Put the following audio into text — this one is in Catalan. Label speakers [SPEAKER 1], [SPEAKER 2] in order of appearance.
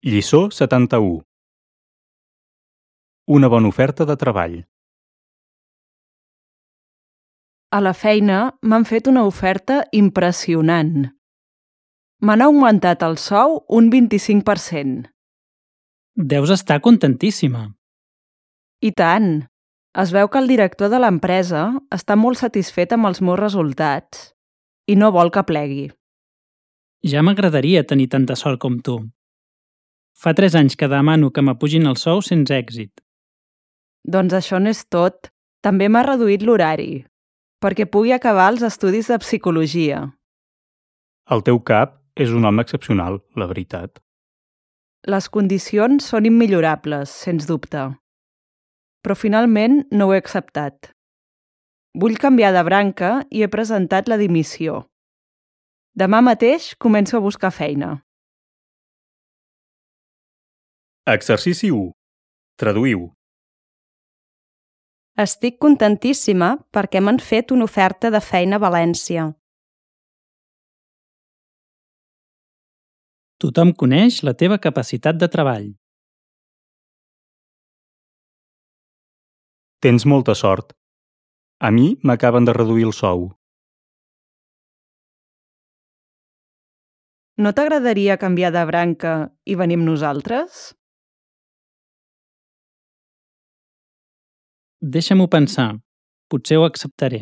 [SPEAKER 1] Lliçó 71. Una bona oferta de treball.
[SPEAKER 2] A la feina m'han fet una oferta impressionant. M'han augmentat el sou un 25%.
[SPEAKER 3] Deus estar contentíssima.
[SPEAKER 2] I tant! Es veu que el director de l'empresa està molt satisfet amb els meus resultats i no vol que plegui.
[SPEAKER 3] Ja m'agradaria tenir tanta sort com tu. Fa 3 anys que demano que m'apugin el sou sense èxit.
[SPEAKER 2] Doncs això no és tot. També m'ha reduït l'horari, perquè pugui acabar els estudis de psicologia.
[SPEAKER 1] El teu cap és un home excepcional, la veritat.
[SPEAKER 2] Les condicions són immillorables, sens dubte. Però finalment no ho he acceptat. Vull canviar de branca i he presentat la dimissió. Demà mateix començo a buscar feina.
[SPEAKER 1] Exercici 1. Traduïu.
[SPEAKER 4] Estic contentíssima perquè m'han fet una oferta de feina a València.
[SPEAKER 3] Tothom coneix la teva capacitat de treball.
[SPEAKER 1] Tens molta sort. A mi m'acaben de reduir el sou.
[SPEAKER 2] No t'agradaria canviar de branca i venir amb nosaltres?
[SPEAKER 3] Deixa-m'ho pensar. Potser ho acceptaré.